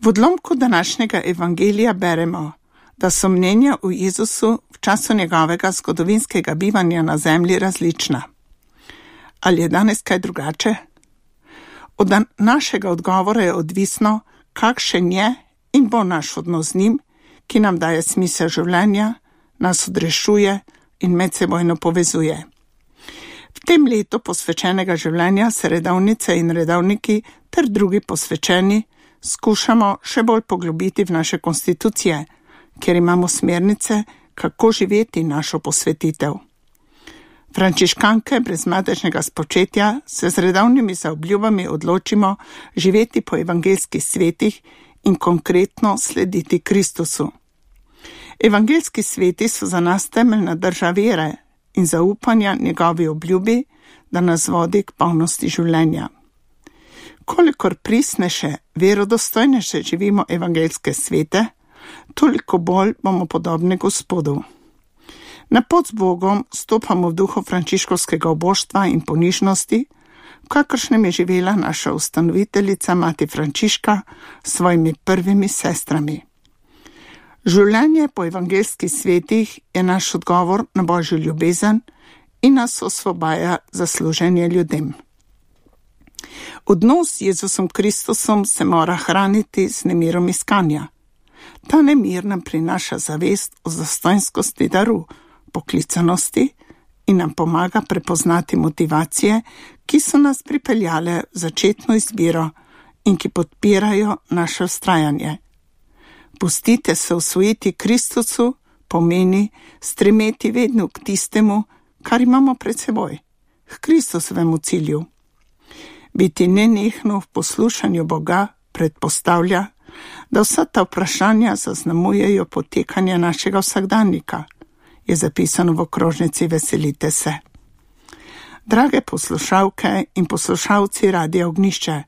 V odlomku današnjega evangelija beremo, da so mnenja o Jezusu v času njegovega zgodovinskega bivanja na zemlji različna. Ali je danes kaj drugače? Od našega odgovora je odvisno, kakšen je in bo naš odnos z njim, ki nam daje smisel življenja, nas odrešuje in medsebojno povezuje. V tem letu posvečenega življenja se redovnice in redovniki ter drugi posvečeni skušamo še bolj poglobiti v naše konstitucije, kjer imamo smernice, kako živeti našo posvetitev. Frančiškanke brez madežnega spočetja se z redovnimi zaobljubami odločimo živeti po evangeljskih svetih in konkretno slediti Kristusu. Evangeljski sveti so za nas temeljna drža vere in zaupanja njegovi obljubi, da nas vodi k polnosti življenja. Kolikor pristnejše, verodostojnejše živimo evangeljske svete, toliko bolj bomo podobni Gospodu. Na pot z Bogom stopamo v duhu frančiškovskega oboštva in ponižnosti, v kakršnem je živela naša ustanoviteljica mati Frančiška s svojimi prvimi sestrami. Življenje po evangeljskih svetih je naš odgovor na Božjo ljubezen in nas osvobaja za služenje ljudem. Odnos z Jezusom Kristusom se mora hraniti z nemirom iskanja. Ta nemir nam prinaša zavest o zastojnskosti daru, poklicanosti in nam pomaga prepoznati motivacije, ki so nas pripeljale v začetno izbiro in ki podpirajo naše vztrajanje. Pustite se osvojiti Kristusu pomeni stremeti vedno k tistemu, kar imamo pred seboj, k Kristusovemu cilju. Biti nenehno v poslušanju Boga predpostavlja, da vsa ta vprašanja zaznamujejo potekanje našega vsakdanjika, je zapisano v okrožnici Veselite se. Drage poslušalke in poslušalci Radia Ognjišče,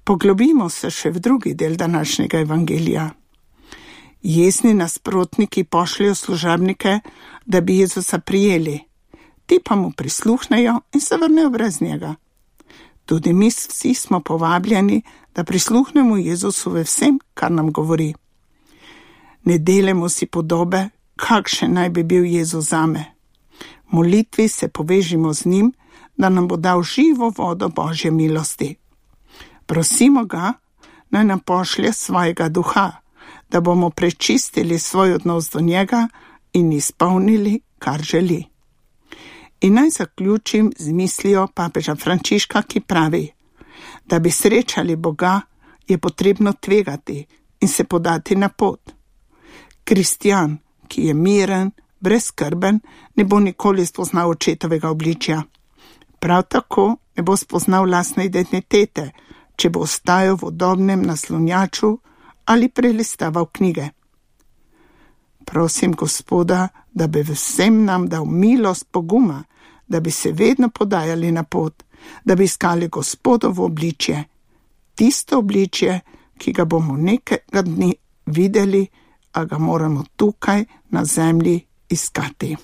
poglobimo se še v drugi del današnjega evangelija. Jezni nasprotniki pošljajo služabnike, da bi Jezusa prijeli, ti pa mu prisluhnejo in se vrnejo brez njega. Tudi mi vsi smo povabljeni, da prisluhnemo Jezusu ve vsem, kar nam govori. Ne delemo si podobe, kakšen naj bi bil Jezus zame. V molitvi se povežimo z njim, da nam bo dal živo vodo Božje milosti. Prosimo ga, naj nam pošlje svojega duha, da bomo prečistili svoj odnos do njega in izpolnili, kar želi. In naj zaključim z mislijo papeža Frančiška, ki pravi, da bi srečali Boga, je potrebno tvegati in se podati na pot. Kristjan, ki je miren, brezskrben, ne bo nikoli spoznal očetovega obličja. Prav tako ne bo spoznal lastne identitete, če bo ostajal v udobnem naslonjaču ali prelistaval knjige. Prosim Gospoda, da bi vsem nam dal milost poguma, da bi se vedno podajali na pot, da bi iskali Gospodovo obličje, tisto obličje, ki ga bomo nekega dni videli, a ga moramo tukaj na zemlji iskati.